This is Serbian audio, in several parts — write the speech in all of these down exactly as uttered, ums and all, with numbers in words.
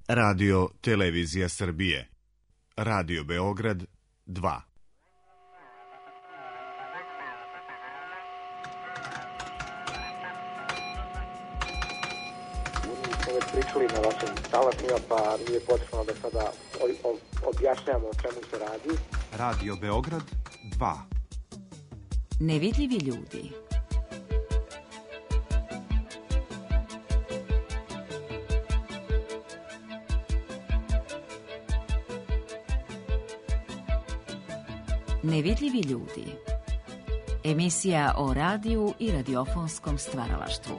Radio Televizija Srbije. Radio Beograd dva. Već pričali na vašim talasima, pa nije potrebno da sada objašnjamo o čemu se radi. Radio Beograd dva. Nevidljivi ljudi. Nevidljivi ljudi. Emisija o radiju i radiofonskom stvaralaštvu.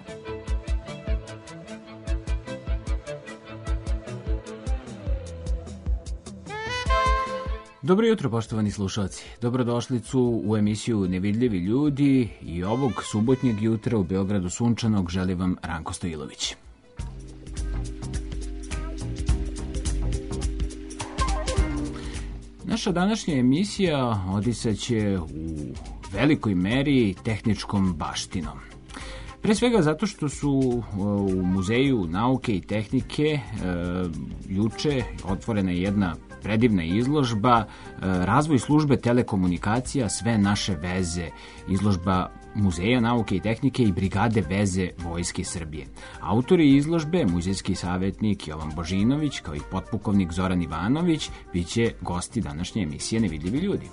Dobro jutro, poštovani slušalci. Dobrodošlicu u emisiju Nevidljivi ljudi i ovog subotnjeg jutra u Beogradu sunčanog želi vam Ranko Stojilović. Naša današnja emisija odisaće u velikoj meri tehničkom baštinom. Pre svega zato što su u Muzeju nauke i tehnike e, juče otvorena jedna predivna izložba Razvoj službe telekomunikacija, sve naše veze, izložba Muzeja nauke i tehnike i Brigade veze Vojske Srbije. Autori izložbe, muzejski savjetnik Jovan Božinović kao i potpukovnik Zoran Ivanović, bit će gosti današnje emisije Nevidljivi ljudi.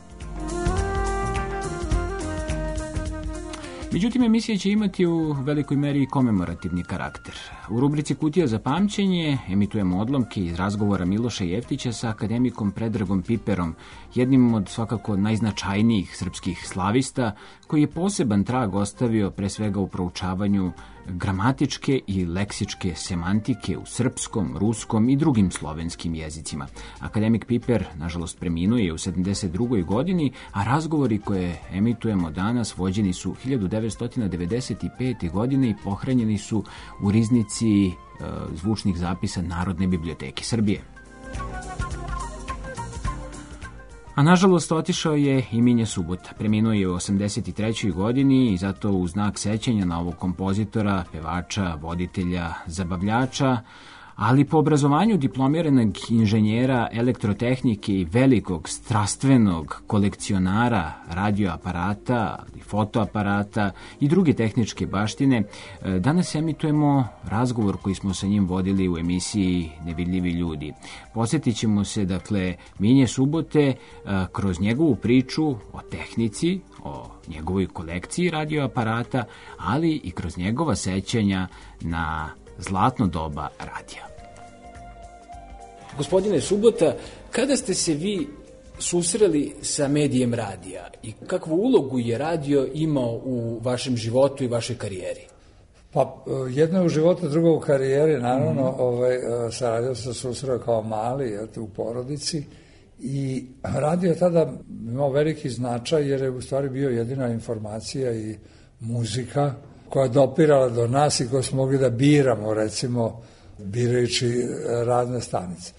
Međutim, emisija će imati u velikoj meri komemorativni karakter. U rubrici Kutija za pamćenje emitujemo odlomke iz razgovora Miloša Jeftića sa akademikom Predragom Piperom, jednim od svakako najznačajnijih srpskih slavista, koji je poseban trag ostavio pre svega u proučavanju gramatičke i leksičke semantike u srpskom, ruskom i drugim slovenskim jezicima. Akademik Piper, nažalost, preminuo je u sedamdeset drugoj godini, a razgovori koje emitujemo danas vođeni su hiljadu devetsto devedeset pete. godine i pohranjeni su u riznici e, zvučnih zapisa Narodne biblioteke Srbije. A nažalost otišao je i Minja Subota. Preminuo je u osamdeset trećoj. godini i zato u znak sećanja na ovog kompozitora, pevača, voditelja, zabavljača, ali po obrazovanju diplomiranog inženjera elektrotehnike i velikog strastvenog kolekcionara radioaparata, fotoaparata i druge tehničke baštine, danas emitujemo razgovor koji smo sa njim vodili u emisiji Nevidljivi ljudi. Posjetit ćemo se, dakle, Minje Subote kroz njegovu priču o tehnici, o njegovoj kolekciji radioaparata, ali i kroz njegova sećanja na zlatno doba radija. Gospodine Subota, kada ste se vi susreli sa medijem radija i kakvu ulogu je radio imao u vašem životu i vašoj karijeri? Pa jedno je u životu, drugo u karijeri, naravno. Mm-hmm. ovaj, sa radio sam se susreo kao mali, jel, u porodici, i radio je tada imao veliki značaj jer je u stvari bio jedina informacija i muzika koja je dopirala do nas i koju smo mogli da biramo, recimo, birajući razne stanice.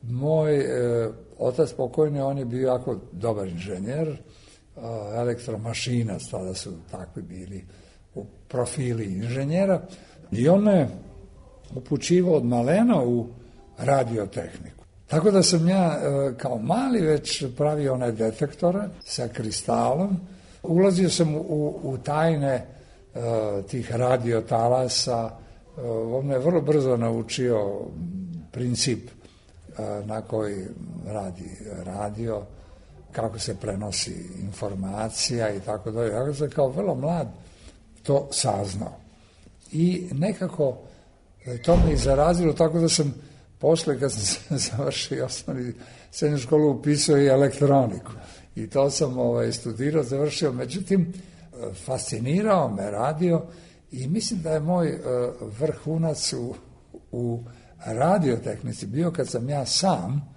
Moj e, otac pokojni, on je bio jako dobar inženjer, e, elektromašinac, tada su takvi bili u profili inženjera, i on me upućivao od malena u radiotehniku. Tako da sam ja e, kao mali već pravio one detektore sa kristalom, ulazio sam u, u tajne tih radiotalasa. On me vrlo brzo naučio princip na koji radi radio, kako se prenosi informacija i tako dalje. Ja sam kao vrlo mlad to saznao. I nekako to me i zarazilo, tako da sam posle, kad sam završio osnovni srednju školu, upisao i elektroniku. I to sam ovaj, studirao, završio. Međutim, fascinirao me radio i mislim da je moj uh, vrhunac u, u radiotehnici bio kad sam ja sam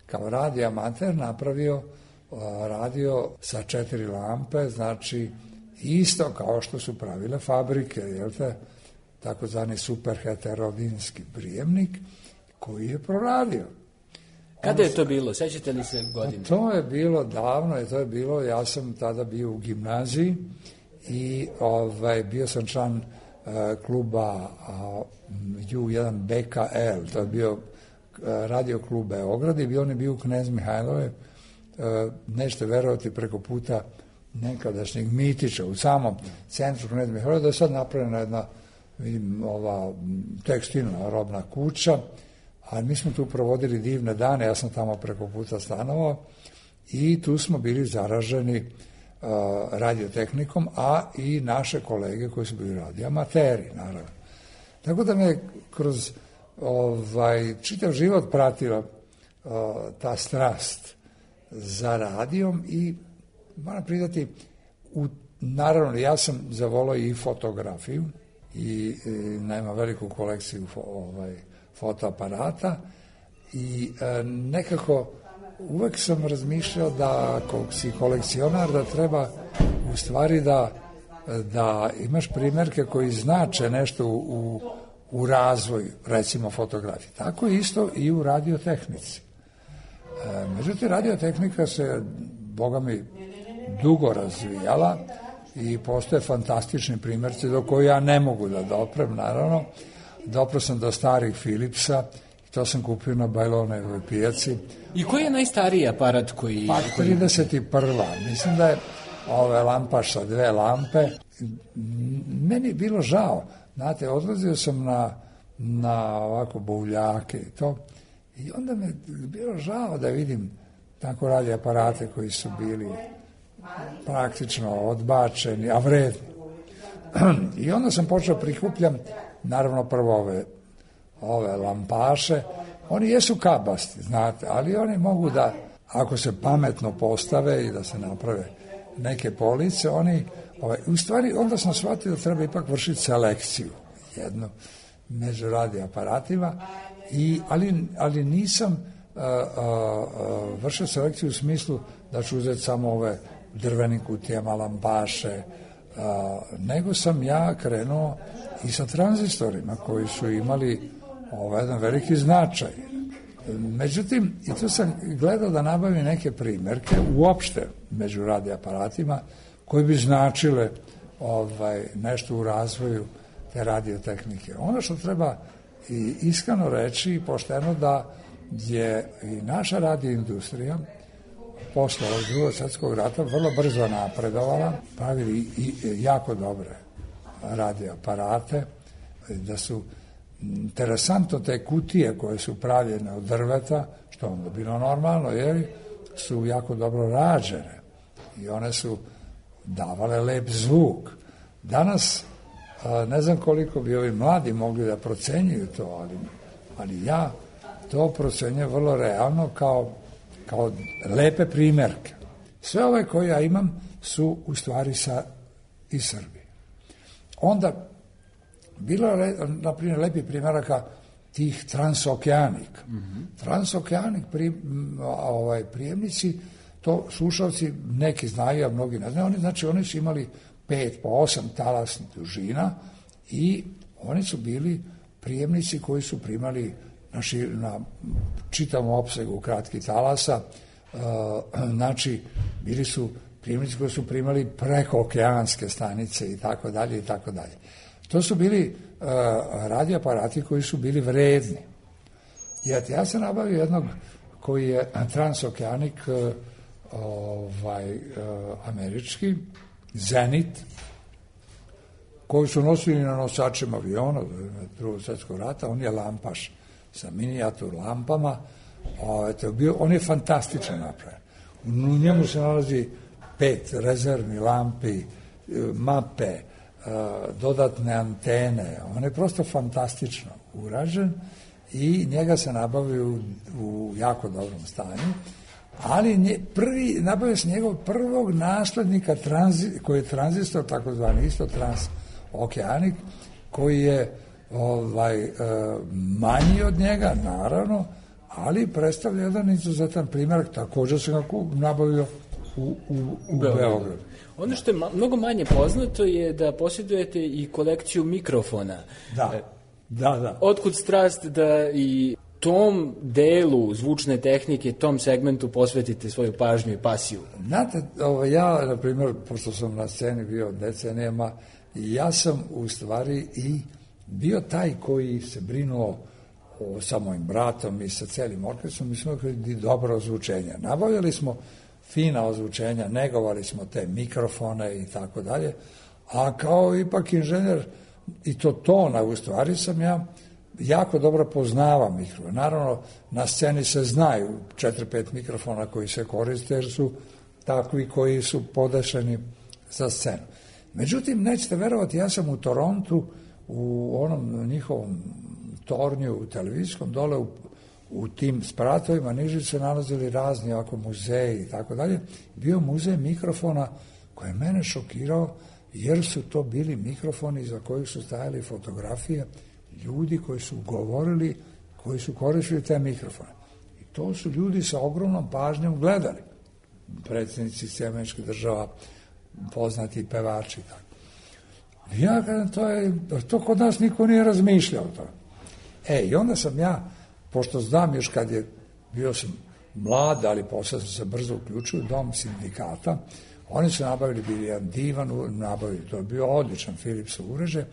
kao radioamater napravio uh, radio sa četiri lampe, znači isto kao što su pravile fabrike, jel te, takozvani superheterodinski prijemnik koji je proradio. Kada je to bilo? Sećate li se godine? To je bilo davno i to je bilo, ja sam tada bio u gimnaziji i ovaj, bio sam član uh, kluba uh, U jedan B K L, to je bio Radio klub Beograd i on je bio u Knez Mihajlove, nećete verovati, preko puta nekadašnjeg Mitića u samom centru Knez Mihajlove, da je sad napravljena jedna, vidim, ova tekstilna robna kuća, a mi smo tu provodili divne dane, ja sam tamo preko puta stanovao i tu smo bili zaraženi uh, radiotehnikom, a i naše kolege koji su bili radioamateri, naravno. Tako da me kroz ovaj, čitav život pratila uh, ta strast za radijom i moram pridati, u, naravno ja sam zavolao i fotografiju i, i nema veliku kolekciju fo, ovaj, fotoaparata i e, nekako uvek sam razmišljao da ako si kolekcionar da treba u stvari da, da imaš primjerke koji znače nešto u, u razvoju, recimo fotografije. Tako isto i u radiotehnici. E, međutim, radiotehnika se, boga mi, dugo razvijala i postoje fantastični primjerci do koji ja ne mogu da doprem, naravno. Dopro sam do starih Philipsa, to sam kupio na Bajlonevoj pijaci. I koji je najstariji aparat koji... Pa trideset prva Mislim da je ove lampaš sa dve lampe. Meni je bilo žao. Znate, odlazio sam na, na ovako buvljake i to. I onda mi je bilo žao da vidim tako radi aparate koji su bili praktično odbačeni, a vredni. I onda sam počeo prikupljam, naravno prvo ove, ove lampaše. Oni jesu kabasti, znate, ali oni mogu da, ako se pametno postave i da se naprave neke police, oni, ovaj, u stvari, onda sam shvatio da treba ipak vršiti selekciju jednu među radioaparatima, i, ali, ali nisam uh, uh, vršio selekciju u smislu da ću uzeti samo ove drvenim kutijama lampaše, uh, nego sam ja krenuo i sa tranzistorima koji su imali ovaj jedan veliki značaj. Međutim, i tu sam gledao da nabavim neke primjerke uopšte među radioaparatima koji bi značile ovaj, nešto u razvoju te radiotehnike. Ono što treba i iskreno reći i pošteno da je i naša radioindustrija posle Drugog svjetskog rata vrlo brzo napredovala, pravili i jako dobre radioaparate, da su interesantno te kutije koje su pravljene od drveta, što onda bilo normalno, jer su jako dobro rađene i one su davale lep zvuk. Danas ne znam koliko bi ovi mladi mogli da procenjuju to, ali, ali ja to procenjujem vrlo realno kao, kao lepe primjerke. Sve ove koje ja imam su u stvari sa iz Srbije. Onda bilo je, na primjer, lepi primjeraka tih transokeanika. Mm-hmm. Transokeanik pri, ovaj, prijemnici, to slušalci neki znaju, a mnogi ne znaju, oni, znači oni su imali pet po osam talasnih dužina i oni su bili prijemnici koji su primali na, šir, na čitavom opsegu kratkih talasa, uh, znači bili su prijemnici koji su primali prekookeanske stanice i tako dalje i tako dalje. To su bili uh, radioaparati koji su bili vredni. Jer ja sam nabavio jednog koji je transokeanik uh, ovaj, uh, američki, Zenit, koji su nosili na nosačima aviona Drugog svjetskog rata. On je lampaš sa minijatur lampama. O, to je bio, on je fantastično napravljen. U njemu se nalazi pet rezervni lampi, mape, dodatne antene. On je prosto fantastično urađen i njega se nabavio u, u jako dobrom stanju. Ali nje, prvi, nabavio se njegov prvog naslednika tranzi, koji je tranzistor, takozvani isto transokeanik, koji je ovaj, e, manji od njega, naravno, ali predstavlja jedan izuzetan primjer, također se ga nabavio u, u, u Beogradu. Ono što je ma, mnogo manje poznato je da posjedujete i kolekciju mikrofona. Da, da, da. Otkud strast da i tom delu zvučne tehnike, tom segmentu posvetite svoju pažnju i pasiju? Znate, ovo, ja, na primjer, pošto sam na sceni bio decenijama, ja sam u stvari i bio taj koji se brinuo o, sa mojim bratom i sa celim orkestrom, mi smo imali dobro ozvučenje. Nabavljali smo fina ozvučenja, negovali smo te mikrofone i tako dalje, a kao ipak inženjer i to tona, u stvari sam ja jako dobro poznavam mikrofon. Naravno, na sceni se znaju četiri pet mikrofona koji se koriste, jer su takvi koji su podešeni za scenu. Međutim, nećete verovati, ja sam u Torontu, u onom njihovom tornju, u televizijskom, dole u, u tim spratovima niži se nalazili razni ovako muzeji i tako dalje. Bio muzej mikrofona koji je mene šokirao, jer su to bili mikrofoni za kojih su stajali fotografije ljudi koji su govorili, koji su koristili te mikrofone. I to su ljudi sa ogromnom pažnjom gledali. Predsjednici Sjedinjenih Država, poznati pevači. Tako. Ja kažem, to, je, to kod nas niko nije razmišljao to. E, i onda sam ja, pošto znam još kad je, bio sam mlad, ali posle sam se brzo uključio u dom sindikata, oni su nabavili, bili jedan divan, nabavili, to je bio odličan Philipsov uređaj,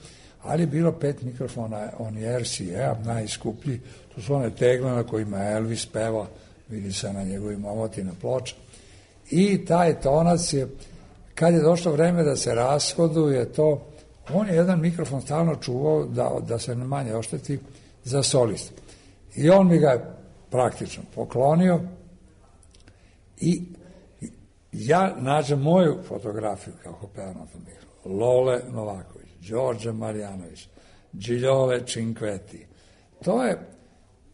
ali je bilo pet mikrofona, oni R C A, najskuplji, to su one tegle na kojima Elvis peva, vidi se na njegovim omotina ploča. I taj tonac je, kad je došlo vreme da se rashoduje to, on je jedan mikrofon stalno čuvao da, da se manje ošteti za solist. I on mi ga je praktično poklonio i ja nađem moju fotografiju kako pevam na tom mikrofonu. Lole Novaković, Đorđe Marjanović, Giljole Cinquetti. To je,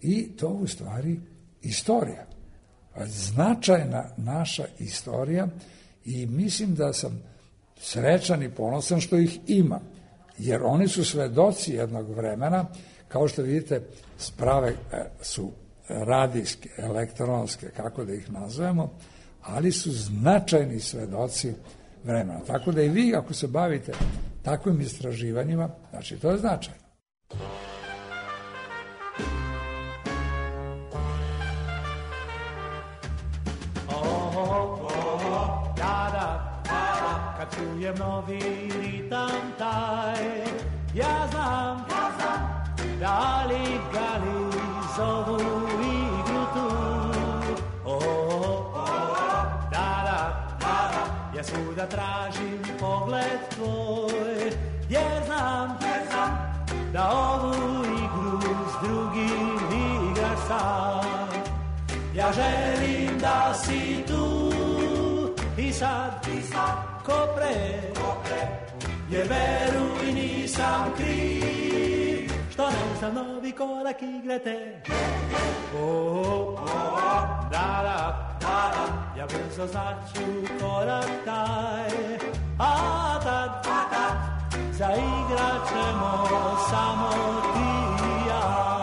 i to u stvari istorija. Značajna naša istorija i mislim da sam srećan i ponosan što ih ima, jer oni su svedoci jednog vremena, kao što vidite, sprave su radijske, elektronske, kako da ih nazovemo, ali su značajni svedoci vremena. Tako da i vi, ako se bavite takvim istraživanjima, znači to je značajno. Čujem novi ritam taj, ja znam, ja znam, da li gali zovu igru tu. O, oh, oh, da, da, da, ja svuda tražim pogled tvoj, jer znam, jer znam, da ovu igru s drugim igraš sam. Ja želim da si tu i sad, i sad, ko pre, ko pre, jer veruj nisam kriv, što ne znam novi korak igrate. O, oh, oh, da, da, da, da, ja brzo znaću korak taj, a tad, a tad, zaigrat ćemo samo ti i ja.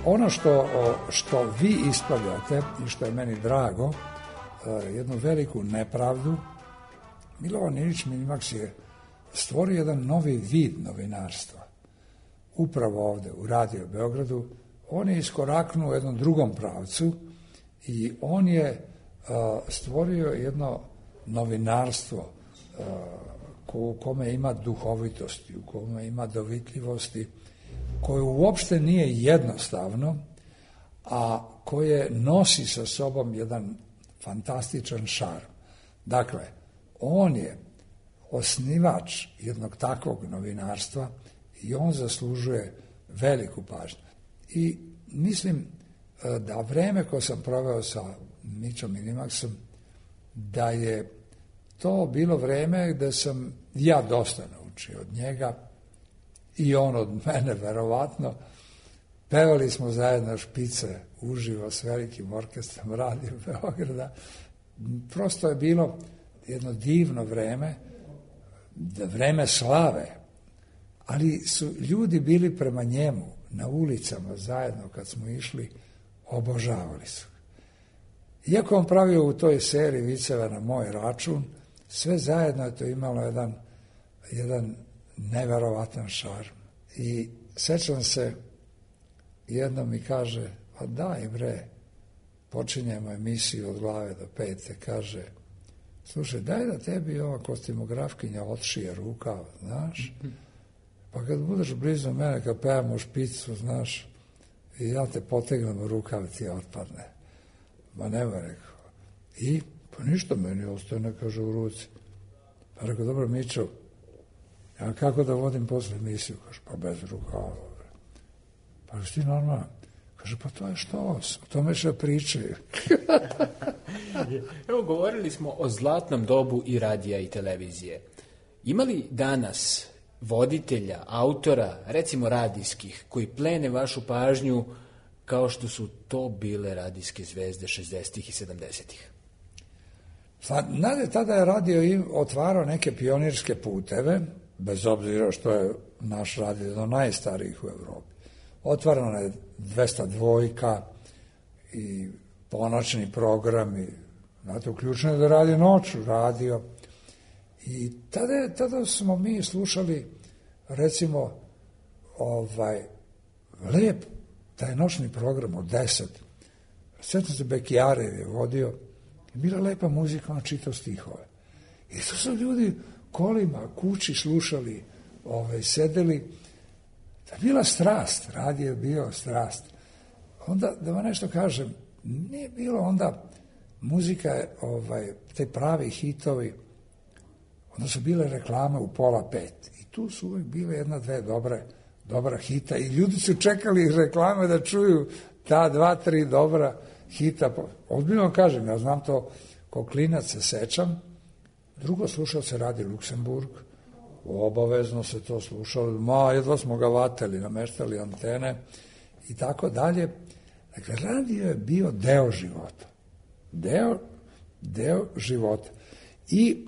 Ono što, što vi ispravljate i što je meni drago, jednu veliku nepravdu, Milovan Ilić Minimax je stvorio jedan novi vid novinarstva. Upravo ovde u Radio Beogradu, on je iskoraknuo u jednom drugom pravcu i on je stvorio jedno novinarstvo u kome ima duhovitosti, u kome ima dovitljivosti, koje uopšte nije jednostavno, a koje nosi sa sobom jedan fantastičan šarm. Dakle, on je osnivač jednog takvog novinarstva i on zaslužuje veliku pažnju. I mislim da vreme koje sam proveo sa Mićom Minimaxom, da je to bilo vreme gde sam ja dosta naučio od njega, i on od mene, verovatno. Pevali smo zajedno špice uživo s velikim orkestrom Radio Beograda. Prosto je bilo jedno divno vreme, vreme slave, ali su ljudi bili prema njemu na ulicama zajedno kad smo išli, obožavali su. Iako on pravio u toj seriji viceva na moj račun, sve zajedno je to imalo jedan, jedan neverovatan šarm. I sećam se, jedno mi kaže, pa daj bre, počinjemo emisiju od glave do pete, kaže, slušaj, daj da tebi ova kostimografkinja otšije rukav, znaš, pa kad budeš blizu mene, kad pevamo špicu, znaš, i ja te potegnem u rukav, ti otpadne. Ma nema, rekao. I, pa ništa meni ostane, kaže, u ruci. Pa rekao, dobro, Mićo, ja kako da vodim posle emisiju? Kaže, pa bez rukava. Pa što ti normalno? Kaže, pa to je što? O tome što pričaju. Evo, govorili smo o zlatnom dobu i radija i televizije. Ima li danas voditelja, autora, recimo radijskih, koji plene vašu pažnju kao što su to bile radijske zvezde šezdesetih i sedamdesetih? Znate, tada je radio otvarao neke pionirske puteve, bez obzira što je naš radio do najstarijih u Evropi. Otvarano je dvesta dvojka i ponoćni programi, znate, uključeno je da radi noću radio. I tada, tada smo mi slušali, recimo, ovaj, lep, taj noćni program od deset. Sjećam se, Bekijarev je vodio, bila lepa muzika, on čitao stihove. I to su ljudi kolima, kući slušali, ovaj, sedeli. To je bila strast, radio je bio strast. Onda, da vam nešto kažem, nije bilo onda muzika, ovaj, te pravi hitovi, onda su bile reklame u pola pet. I tu su uvijek bile jedna, dve dobre, dobra hita. I ljudi su čekali reklame da čuju ta dva, tri dobra hita. Odbiljno kažem, ja znam to, ko klinac se sećam. Drugo, slušao se radi Luksemburg. Obavezno se to slušalo. Ma, jedva smo ga vateli, nameštali antene i tako dalje. Dakle, radio je bio deo života. Deo, deo života. I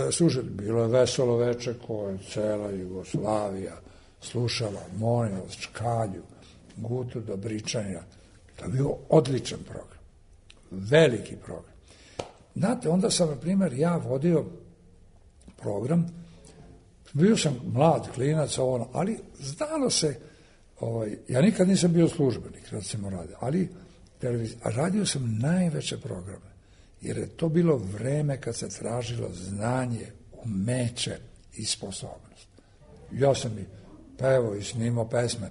e, slušajte, bilo je veselo veče koje cela Jugoslavija slušala, molim vas, Čkalju, Gutu Dobričanja. To je bio odličan program. Veliki program. Znate, onda sam, na primjer, ja vodio program, bio sam mlad klinac, ono, ali znalo se, ovaj, ja nikad nisam bio službenik, recimo radio, ali televizija, a radio sam najveće programe, jer je to bilo vreme kad se tražilo znanje, umeće i sposobnost. Ja sam i pevao i snimao pesme.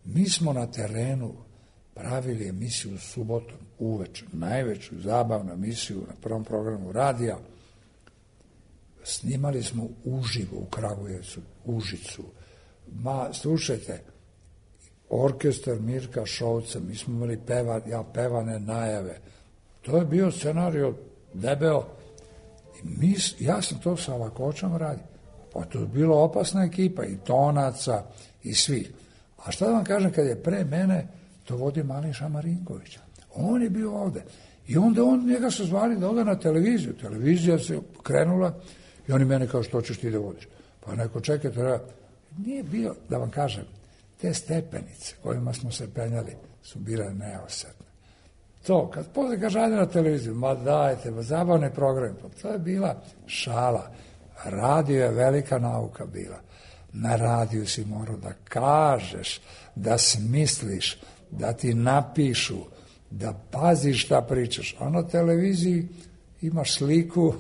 Mi smo na terenu pravili emisiju subotom uveče, najveću zabavnu emisiju na prvom programu radija. Snimali smo uživo u Kragujevcu, Užicu. Ma, slušajte, orkestar Mirka Šovca, mi smo imali peva, ja pevane najave. To je bio scenario debeo. I mi, ja sam to sa lakoćom radio. Pa to je bila opasna ekipa, i tonaca, i svih. A šta da vam kažem, kad je pre mene to vodio Mališa Marinkovića. On je bio ovde. I onda on, njega su zvali da ode na televiziju. Televizija se krenula i oni mene kao, što ćeš ti da vodiš? Pa neko, čekaj, treba. Nije bio, da vam kažem, te stepenice kojima smo se penjali su bile neosetne. To, kad posle kaže ajde na televiziju, ma dajte, ma zabavne programe, pa to je bila šala. Radio je velika nauka bila. Na radiju si morao da kažeš, da smisliš, da ti napišu, da paziš šta pričaš. A na televiziji imaš sliku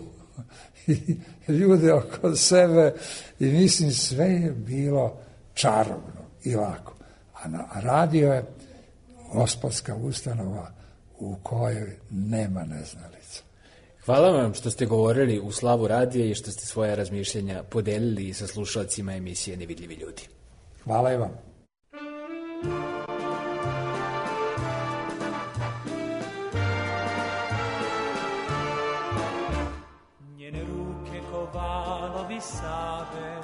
i ljude oko sebe i mislim sve je bilo čarobno i lako. A na radio je gospodska ustanova u kojoj nema neznalica. Hvala vam što ste govorili u slavu radija i što ste svoje razmišljenja podelili sa slušalcima emisije Nevidljivi ljudi. Hvala i vam. Njene ruke ko valovi Save,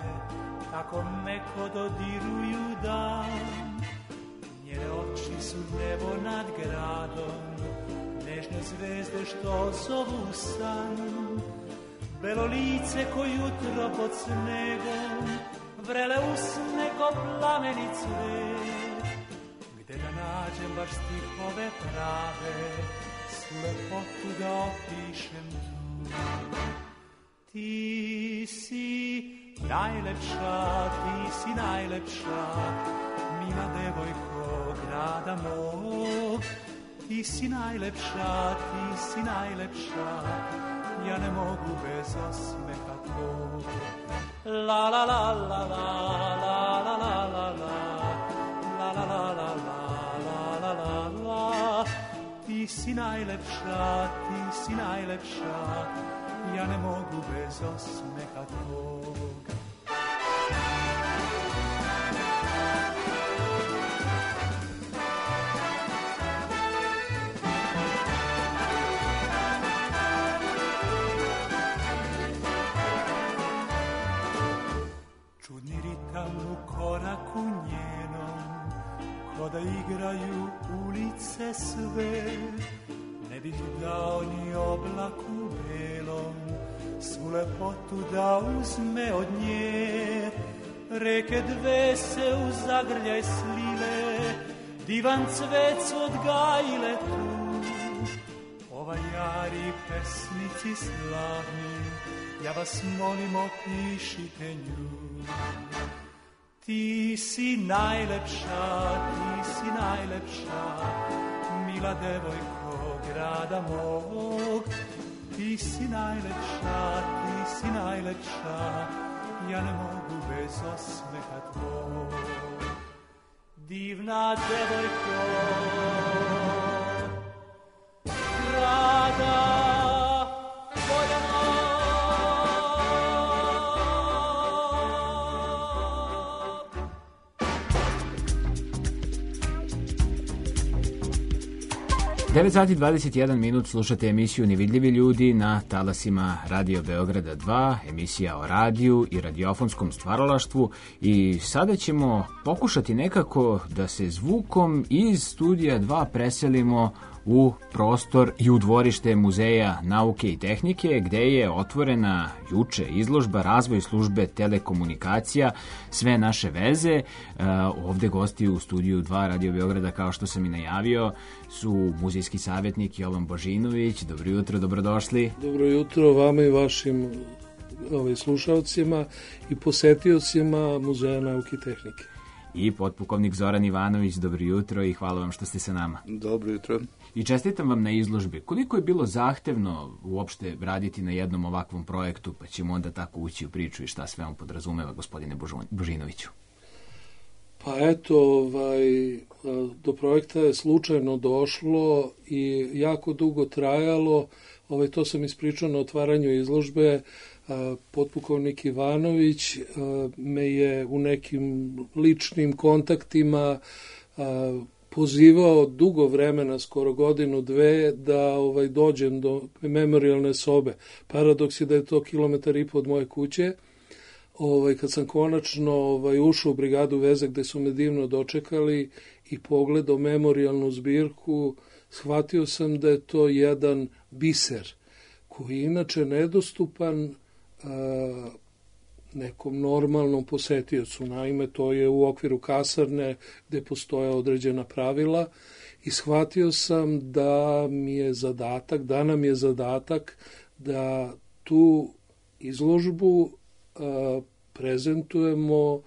tako meko dodiruju dan. Njene oči su nebo nad gradom, nežne zvezde što zovu san. Belo lice ko jutro pod snegom, vrele usne ko plameni cvet. Gde da nađem baš stihove prave, svu lepotu da opišem tu. Ti si najlepša, ti si najlepša, mila devojko grada mog. Ti si najlepša, ti si najlepša, ja ne mogu bez osmeha tvog. La la la la la la la la la la la la la la la la la la. Ti si najlepša, ti si najlepša, ja ne mogu bez osmeha tvog. Koraku njenom, ko da igraju ulice sve, ne bih dao ni oblaku belom, svu lepotu da uzme od nje. Reke dve se u zagrljaj slile, divan cvet su odgajile tu. Ova jari pesnici slavni, ja vas molim opišite nju. Ti si najlepša, ti si najlepša, mila devojko grada mog. Ti si najlepša, ti si najlepša, ja ne mogu bez osmeha tvog. Divna devojko grada mog. devet sati dvadeset jedan minut, slušate emisiju Nevidljivi ljudi na talasima Radio Beograda dva, emisija o radiju i radiofonskom stvaralaštvu, i sada ćemo pokušati nekako da se zvukom iz studija dva preselimo u prostor i u dvorište Muzeja nauke i tehnike, gde je otvorena juče izložba Razvoj službe telekomunikacija, sve naše veze. Ovde gosti u studiju dva Radio Beograda, kao što sam i najavio, su muzejski savjetnik Jovan Božinović. Dobro jutro, dobrodošli. Dobro jutro vama i vašim ovaj, slušalcima i posetiocima Muzeja nauke i tehnike. I potpukovnik Zoran Ivanović, dobro jutro i hvala vam što ste sa nama. Dobro jutro. I čestitam vam na izložbi. Koliko je bilo zahtevno uopšte raditi na jednom ovakvom projektu, pa ćemo onda tako ući u priču i šta sve on podrazumeva, gospodine Božinoviću? Pa eto, ovaj, do projekta je slučajno došlo i jako dugo trajalo. Ovaj, to sam ispričao na otvaranju izložbe. Potpukovnik Ivanović me je u nekim ličnim kontaktima pozivao dugo vremena, skoro godinu, dve, da ovaj, dođem do memorijalne sobe. Paradoks je da je to kilometar i po od moje kuće. Ovaj, kad sam konačno ovaj, ušao u brigadu veze gde su me divno dočekali i pogledao memorijalnu zbirku, shvatio sam da je to jedan biser koji je inače nedostupan a, nekom normalnom posetiocu. Naime, to je u okviru kasarne gde postoje određena pravila i shvatio sam da mi je zadatak, da nam je zadatak da tu izložbu a, prezentujemo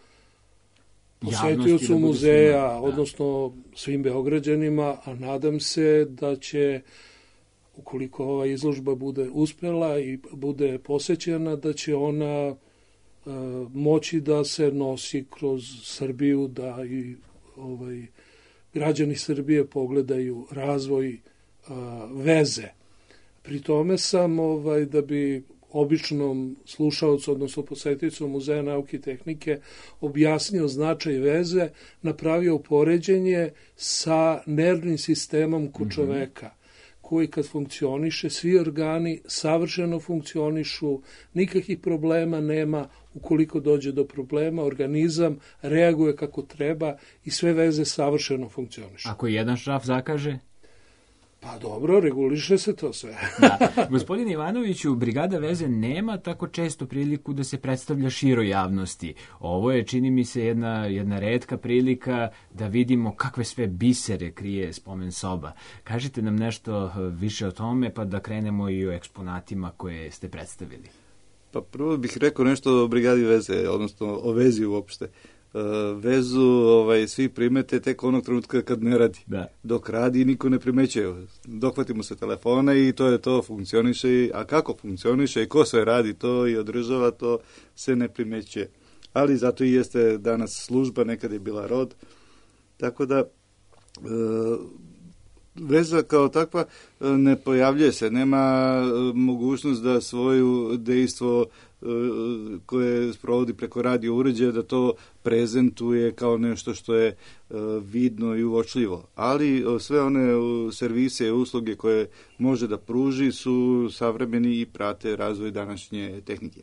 posetiocu muzeja, da, odnosno svim Beograđanima, a nadam se da će, ukoliko ova izložba bude uspela i bude posećena, da će ona uh, moći da se nosi kroz Srbiju, da i ovaj, građani Srbije pogledaju razvoj uh, veze. Pri tome sam, ovaj, da bi običnom slušalcu, odnosno posetiocima Muzeja nauke i tehnike, objasnio značaj veze, napravio poređenje sa nervnim sistemom kod čoveka, koji kad funkcioniše, svi organi savršeno funkcionišu, nikakvih problema nema. Ukoliko dođe do problema, organizam reaguje kako treba i sve veze savršeno funkcionišu. Ako jedan šraf zakaže? Pa dobro, reguliše se to sve. Da. Gospodine Ivanoviću, Brigada veze nema tako često priliku da se predstavlja široj javnosti. Ovo je, čini mi se, jedna, jedna retka prilika da vidimo kakve sve bisere krije spomen soba. Kažite nam nešto više o tome, pa da krenemo i o eksponatima koje ste predstavili. Pa prvo bih rekao nešto o brigadi veze, odnosno o vezi uopšte. Vezu ovaj, svi primete tek onog trenutka kad ne radi. Da. Dok radi niko ne primećuje. Dohvatimo se telefona i to je to, funkcioniše. A kako funkcioniše i ko sve radi to i održava to, se ne primećuje. Ali zato i jeste danas služba, nekad je bila rod. Tako da e, veza kao takva ne pojavljuje se. Nema mogućnost da svoju dejstvo koje sprovodi preko radio uređaja, da to prezentuje kao nešto što je vidno i uočljivo. Ali sve one servise i usluge koje može da pruži su savremeni i prate razvoj današnje tehnike.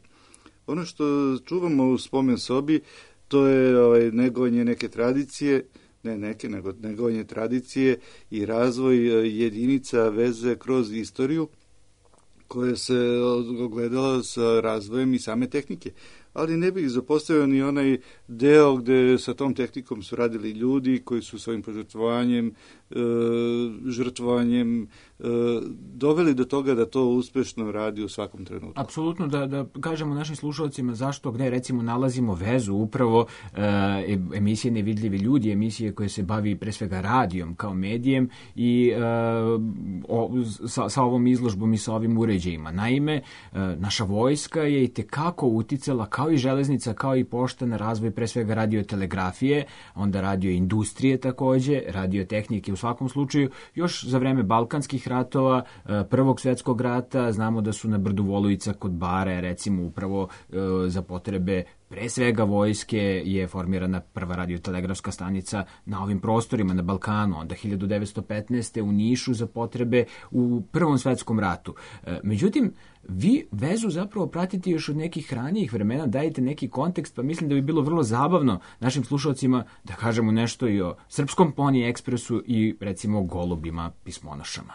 Ono što čuvamo u spomen sobi, to je ovaj, negovanje neke tradicije, ne neke, nego negovanje tradicije i razvoj jedinica veze kroz istoriju, koje se ogledala sa razvojem i same tehnike. Ali ne bih zapostavio ni onaj deo gde sa tom tehnikom su radili ljudi koji su svojim požrtvovanjem, e, žrtvovanjem e, doveli do toga da to uspešno radi u svakom trenutku. Apsolutno, da, da kažemo našim slušalcima zašto, gde recimo nalazimo vezu, upravo e, emisije Nevidljivi ljudi, emisije koje se bavi pre svega radijom kao medijem i e, o, sa, sa ovom izložbom i sa ovim uređajima. Naime, e, naša vojska je i tekako uticala kao i železnica, kao i pošta na razvoj pre svega radiotelegrafije, onda radioindustrije takođe, radiotehnike u svakom slučaju. Još za vreme Balkanskih ratova, Prvog svetskog rata, znamo da su na brdu Volujica kod Bare, recimo upravo za potrebe pre svega vojske je formirana prva radiotelegrafska stanica na ovim prostorima, na Balkanu, onda hiljadu devetsto petnaeste. u Nišu za potrebe u Prvom svetskom ratu. Međutim, vi vezu zapravo pratite još od nekih ranijih vremena, dajete neki kontekst, pa mislim da bi bilo vrlo zabavno našim slušalcima da kažemo nešto i o Srpskom Pony Ekspresu i recimo golubima pismonošama.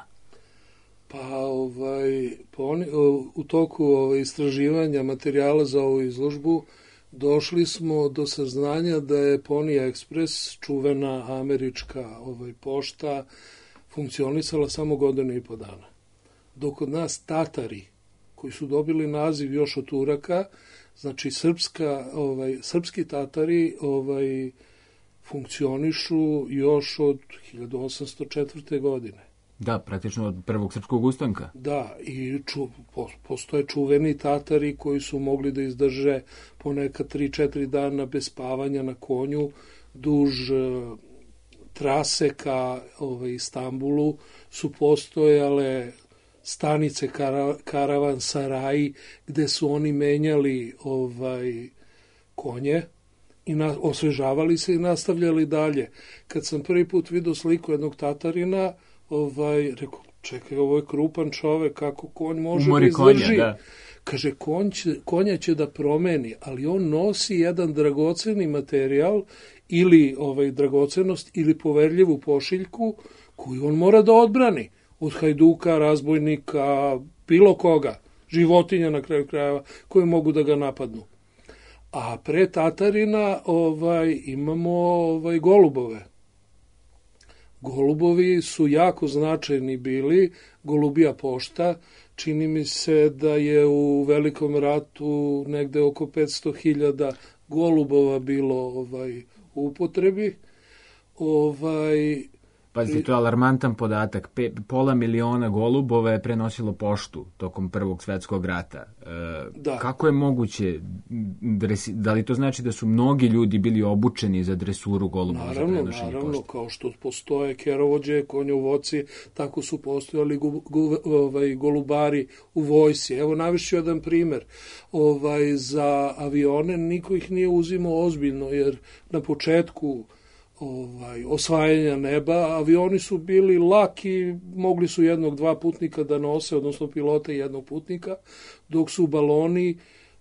Pa ovaj, poni, u toku ovaj, istraživanja materijala za ovu izložbu došli smo do saznanja da je Pony Express, čuvena američka ovaj, pošta, funkcionisala samo godinu i po dana. Dok od nas Tatari, koji su dobili naziv još od Turaka, znači srpska, ovaj, srpski Tatari ovaj, funkcionišu još od hiljadu osamsto četvrte. godine. Da, praktično od prvog srpskog ustanka. Da, i ču, po, postoje čuveni Tatari koji su mogli da izdrže ponekad tri četiri dana bez spavanja na konju duž uh, trase ka ovaj, Istanbulu su postojale stanice kara, karavan saraji gde su oni menjali ovaj konje i na, osvežavali se i nastavljali dalje. Kad sam prvi put vidio sliku jednog Tatarina, ovaj, rekao, čekaj, ovo je krupan čovek, kako konj može Umori da izdrži. Konja, da. Kaže, konj će, konja će da promeni, ali on nosi jedan dragoceni materijal ili ovaj, dragocenost ili poverljivu pošiljku koju on mora da odbrani od hajduka, razbojnika, bilo koga, životinja na kraju krajeva, koje mogu da ga napadnu. A pre Tatarina ovaj, imamo ovaj, golubove. Golubovi su jako značajni bili, Golubija pošta, čini mi se da je u Velikom ratu negde oko petsto hiljada golubova bilo ovaj, u upotrebi. Ovaj, Pazite, to je alarmantan podatak. Pe, pola miliona golubova je prenosilo poštu tokom Prvog svetskog rata. E, da. Kako je moguće, dresi, da li to znači da su mnogi ljudi bili obučeni za dresuru golubova? Naravno, za prenošenje naravno, pošte? kao što postoje kerovođe, konjovoci, tako su postojali gu, gu, ovaj, golubari u vojsi. Evo, navešću jedan primer. Ovaj, za avione niko ih nije uzimao ozbiljno, jer na početku ovaj, osvajanja neba, avioni su bili laki, mogli su jednog, dva putnika da nose, odnosno pilota i jednog putnika, dok su baloni,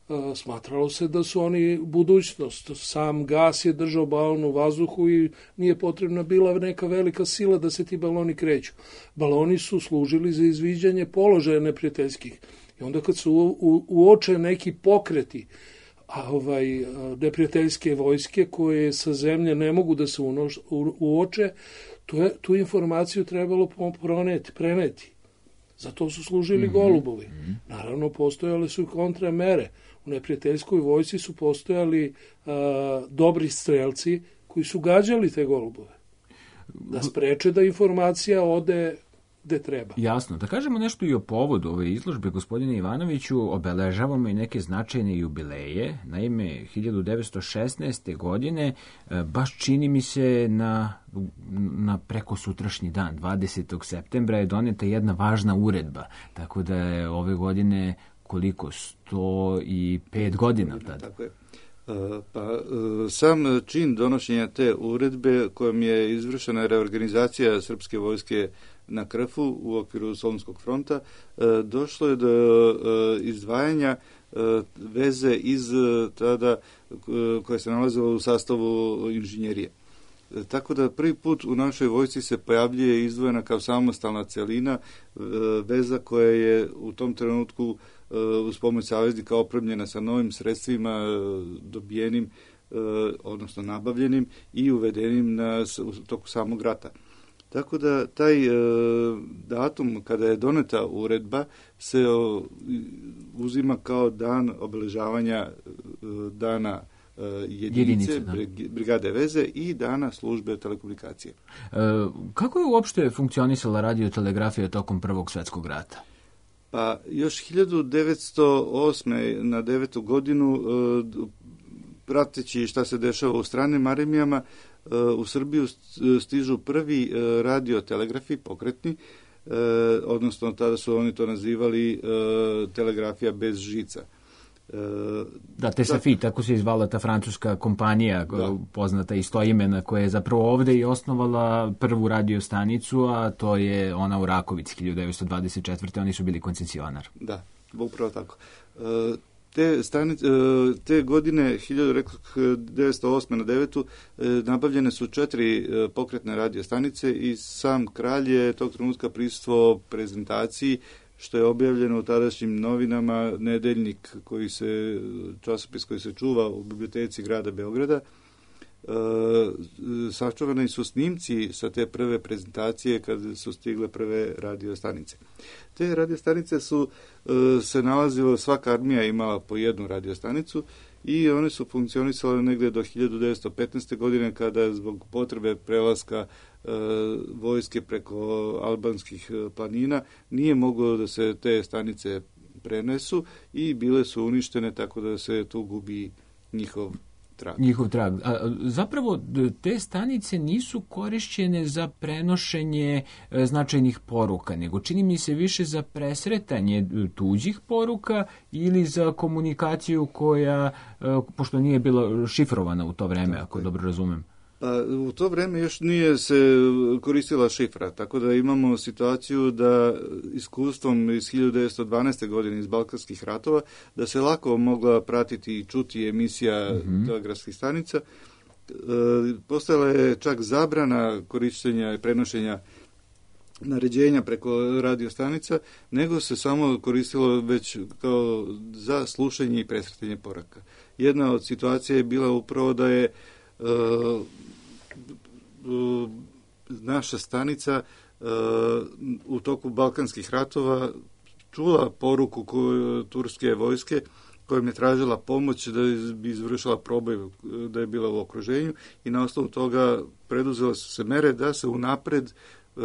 a, smatralo se da su oni budućnost. Sam gas je držao balon u vazduhu i nije potrebna bila neka velika sila da se ti baloni kreću. Baloni su služili za izviđanje položaja neprijateljskih. I onda kad su u, u, uoče neki pokreti, a ovaj neprijateljske vojske koje sa zemlje ne mogu da se unoš, u, uoče, tu, je, tu informaciju trebalo proneti, preneti. Za to su služili mm-hmm. golubovi. Naravno, postojale su i kontramere. U neprijateljskoj vojsci su postojali a, dobri strelci koji su gađali te golubove. Da spreče da informacija ode gde treba. Jasno. Da kažemo nešto i o povodu ove izložbe, gospodine Ivanoviću, obeležavamo i neke značajne jubileje. Naime, hiljadu devetsto šesnaeste. godine, baš čini mi se na, na preko sutrašnji dan, dvadesetog septembra, je doneta jedna važna uredba. Tako da je ove godine koliko? sto pet godina tada. Tako je. Pa, sam čin donošenja te uredbe kojom je izvršena reorganizacija srpske vojske na Krfu u okviru Solunskog fronta, došlo je do izdvajanja veze iz tada koja se nalazila u sastavu inženjerije. Tako da prvi put u našoj vojsci se pojavljuje izdvojena kao samostalna celina veza koja je u tom trenutku uz pomoć saveznika opremljena sa novim sredstvima dobijenim, odnosno nabavljenim i uvedenim na, u toku samog rata. Tako da taj e, datum kada je doneta uredba se o, uzima kao dan obeležavanja e, dana e, jedinice, Jedinice, brigade veze i dana službe telekomunikacije. E, kako je uopšte funkcionisala radiotelegrafija tokom Prvog svjetskog rata? Pa još hiljadu devetsto osme. na devetu godinu, e, prateći šta se dešava u stranim armijama, u Srbiju stižu prvi radiotelegrafi pokretni, odnosno tada su oni to nazivali telegrafija bez žica. Da, T S F I, tako se izvala ta francuska kompanija, da, poznata istoimena, koja je zapravo ovde i osnovala prvu radiostanicu, a to je ona u Rakovici hiljadu devetsto dvadeset četvrte. Oni su bili koncesionar. Da, upravo tako. Te, stanice, te godine, hiljadu devetsto osme. na devetu. nabavljene su četiri pokretne radiostanice i sam kralj je tog trenutka prisustvovao prezentaciji, što je objavljeno u tadašnjim novinama, nedeljnik, koji se, časopis koji se čuva u biblioteci grada Beograda. E, sačuvani su snimci sa te prve prezentacije kada su stigle prve radiostanice. Te radiostanice su e, se nalazile, svaka armija imala po jednu radiostanicu i one su funkcionisale negde do hiljadu devetsto petnaeste. godine kada zbog potrebe prelaska e, vojske preko albanskih planina nije moglo da se te stanice prenesu i bile su uništene, tako da se tu gubi njihov trag. Njihov trag. A, zapravo, te stanice nisu korišćene za prenošenje e, značajnih poruka, nego čini mi se više za presretanje tuđih poruka ili za komunikaciju koja, e, pošto nije bila šifrovana u to vreme, tako ako je. Dobro razumem. Pa, u to vreme još nije se koristila šifra, tako da imamo situaciju da iskustvom iz hiljadu devetsto dvanaeste. godine iz Balkanskih ratova, da se lako mogla pratiti i čuti emisija mm-hmm. telegrafskih stanica. E, postojala je čak zabrana korištenja i prenošenja naređenja preko radiostanica, nego se samo koristilo već kao za slušanje i presretanje poraka. Jedna od situacija je bila upravo da je Uh, uh, naša stanica uh, u toku Balkanskih ratova čula poruku koju, turske vojske kojom je tražila pomoć da bi izvršila proboj, da je bila u okruženju i na osnovu toga preduzela su se mere da se unapred uh,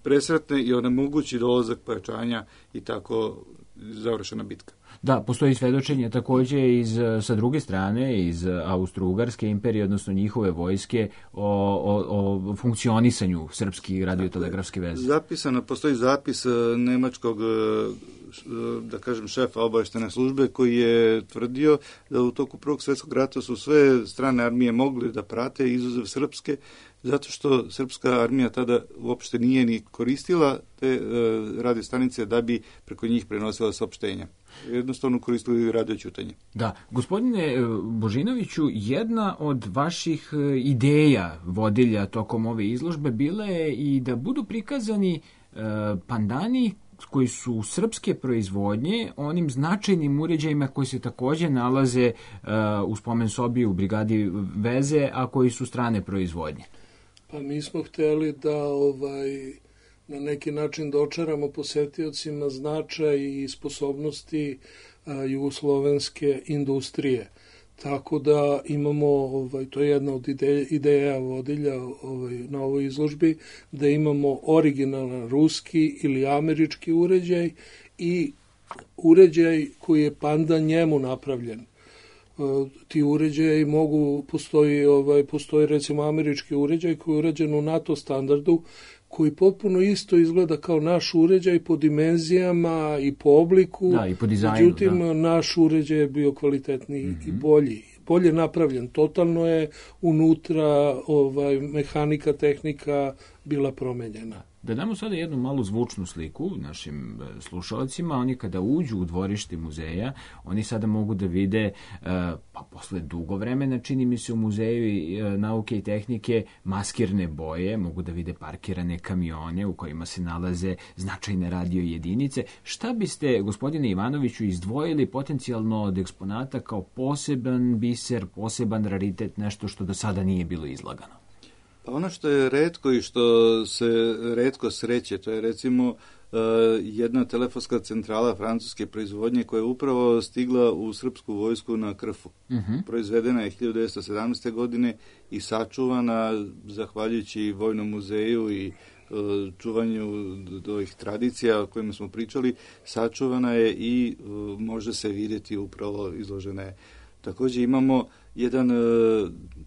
presretne i onemogući dolazak pojačanja i tako završena bitka. Da, postoji svedočenje takođe iz, sa druge strane, iz Austro-Ugarske imperije, odnosno njihove vojske, o, o, o funkcionisanju srpskih radiotelegrafske veze. Zapisano, postoji zapis nemačkog, da kažem, šefa obaveštene službe koji je tvrdio da u toku Prvog svjetskog rata su sve strane armije mogli da prate, izuzev srpske, zato što srpska armija tada uopšte nije ni koristila te e, radiostanice da bi preko njih prenosila saopštenja. Jednostavno koristili radioćutanje. Da, gospodine Božinoviću, jedna od vaših ideja vodilja tokom ove izložbe bila je i da budu prikazani e, pandani koji su srpske proizvodnje, onim značajnim uređajima koji se takođe nalaze uh, u spomen sobi u brigadi veze, a koji su strane proizvodnje. Pa mi smo hteli da ovaj na neki način dočaramo posetiocima značaj i sposobnosti jugoslovenske industrije. Tako da imamo, ovaj, to je jedna od ideja, ideja vodilja ovaj, na ovoj izložbi, da imamo originalan ruski ili američki uređaj i uređaj koji je pandan njemu napravljen. Ti uređaji mogu, postoji, ovaj, postoji recimo američki uređaj koji je urađen u NATO standardu, koji potpuno isto izgleda kao naš uređaj po dimenzijama i po obliku. Da, i po dizajnu. Međutim, da. naš uređaj je bio kvalitetniji mm-hmm. i bolji. Bolje napravljen. Totalno je unutra ovaj, mehanika, tehnika bila promenjena. Da damo sada jednu malu zvučnu sliku našim slušalcima. Oni kada uđu u dvorište muzeja, oni sada mogu da vide, pa posle dugo vremena, čini mi se u muzeju nauke i tehnike, maskirne boje, mogu da vide parkirane kamione u kojima se nalaze značajne radio jedinice. Šta biste, gospodine Ivanoviću, izdvojili potencijalno od eksponata kao poseban biser, poseban raritet, nešto što do sada nije bilo izlagano? Pa ono što je retko i što se retko sreće, to je recimo uh, jedna telefonska centrala francuske proizvodnje koja je upravo stigla u srpsku vojsku na Krfu. Uh-huh. Proizvedena je hiljadu devetsto sedamnaeste. godine i sačuvana, zahvaljujući Vojnom muzeju i uh, čuvanju ovih tradicija o kojima smo pričali, sačuvana je i uh, može se vidjeti upravo izložena je. Također imamo jedan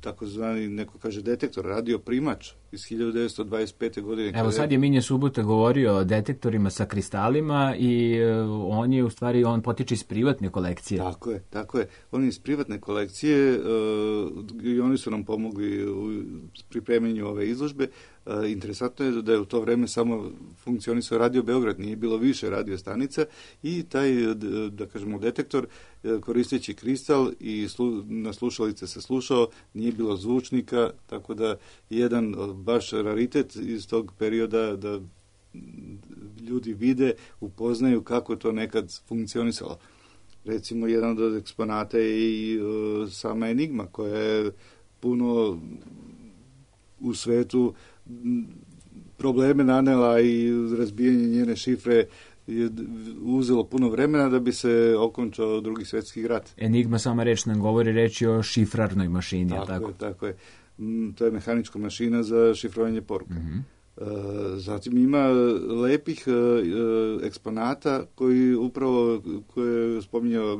takozvani, neko kaže, detektor, radio primač iz hiljadu devetsto dvadeset pete. godine. Evo sad je Minja Subota govorio o detektorima sa kristalima i on je u stvari, on potiče iz privatne kolekcije. Tako je, tako je. On je iz privatne kolekcije i oni su nam pomogli u pripremanju ove izložbe. Interesantno je da je u to vreme samo funkcionisao Radio Beograd, nije bilo više radio stanica i taj, da kažemo, detektor koristeći kristal i slu, na slušalice se slušao, nije bilo zvučnika, tako da jedan baš raritet iz tog perioda da ljudi vide, upoznaju kako to nekad funkcionisalo. Recimo, jedan od eksponata je i uh, sama Enigma, koja je puno u svetu probleme nanela i razbijanje njene šifre je uzelo puno vremena da bi se okončao Drugi svjetski rat. Enigma, sama reč nam govori, reč je o šifrarnoj mašini. Tako, tako? je, tako je. To je mehanička mašina za šifrovanje poruka. Mm-hmm. Zatim ima lepih eksponata koji upravo, koje je spominjao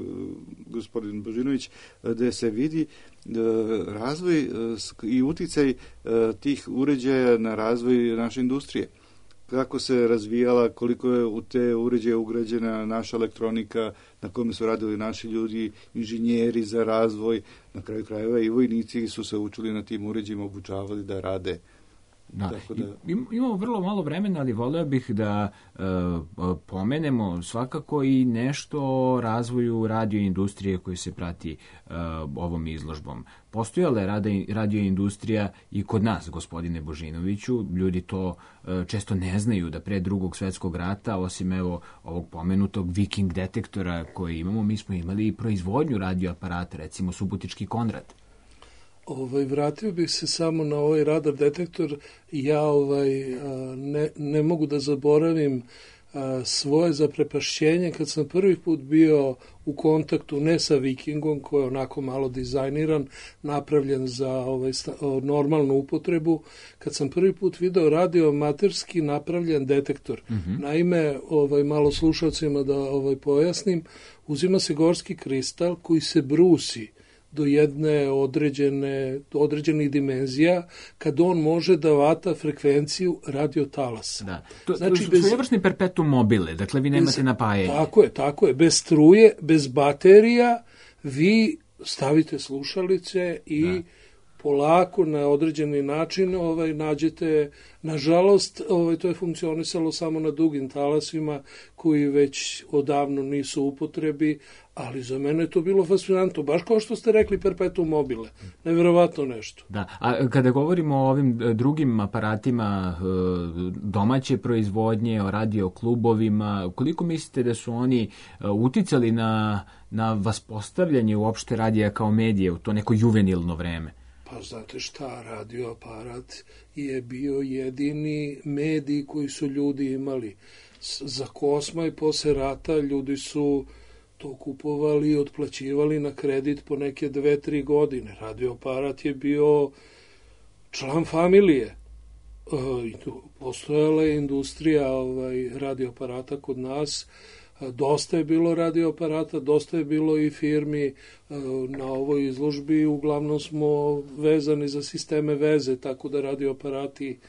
gospodin Božinović, gde se vidi razvoj i uticaj tih uređaja na razvoj naše industrije. Kako se razvijala, koliko je u te uređaje ugrađena naša elektronika, na kome su radili naši ljudi, inženjeri za razvoj, na kraju krajeva i vojnici su se učili na tim uređajima, obučavali da rade. Da. Da... Imamo vrlo malo vremena, ali voleo bih da e, pomenemo svakako i nešto o razvoju radioindustrije koji se prati e, ovom izložbom. Postojala je radioindustrija i kod nas, gospodine Božinoviću. Ljudi to e, često ne znaju da pre Drugog svjetskog rata, osim evo ovog pomenutog Viking detektora koji imamo, mi smo imali i proizvodnju radioaparata, recimo Subotički Konrad. Ovaj, vratio bih se samo na ovaj radar detektor. Ja ovaj, ne, ne mogu da zaboravim svoje zaprepašćenje kad sam prvi put bio u kontaktu ne sa Vikingom, koji je onako malo dizajniran, napravljen za ovaj, normalnu upotrebu, kad sam prvi put video radioamaterski napravljen detektor. Mm-hmm. Naime, ovaj, malo slušalcima da ovaj, pojasnim, uzima se gorski kristal koji se brusi do jedne određene, određenih dimenzija, kad on može da vata frekvenciju radiotalasa. Da. To, znači, to su vrstni perpetuum mobile, dakle vi nemate bez, napajanje. Tako je, tako je. Bez struje, bez baterija, vi stavite slušalice i da. polako na određeni način ovaj, nađete, nažalost, ovaj, to je funkcionisalo samo na dugim talasima koji već odavno nisu u upotrebi, ali za mene je to bilo fascinantno, baš kao što ste rekli perpetuum mobile, neverovatno nešto. Da, a kada govorimo o ovim drugim aparatima domaće proizvodnje, o radioklubovima, koliko mislite da su oni uticali na, na vaspostavljanje uopšte radija kao medije u to neko juvenilno vreme? Pa znate šta, radioaparat je bio jedini medij koji su ljudi imali. Za Kosma i posle rata ljudi su to kupovali i otplaćivali na kredit po neke dve, tri godine. Radioaparat je bio član familije. Postojala je industrija ovaj, radioaparata kod nas. Dosta je bilo radioaparata, dosta je bilo i firmi na ovoj izložbi. Uglavnom smo vezani za sisteme veze, tako da radioaparati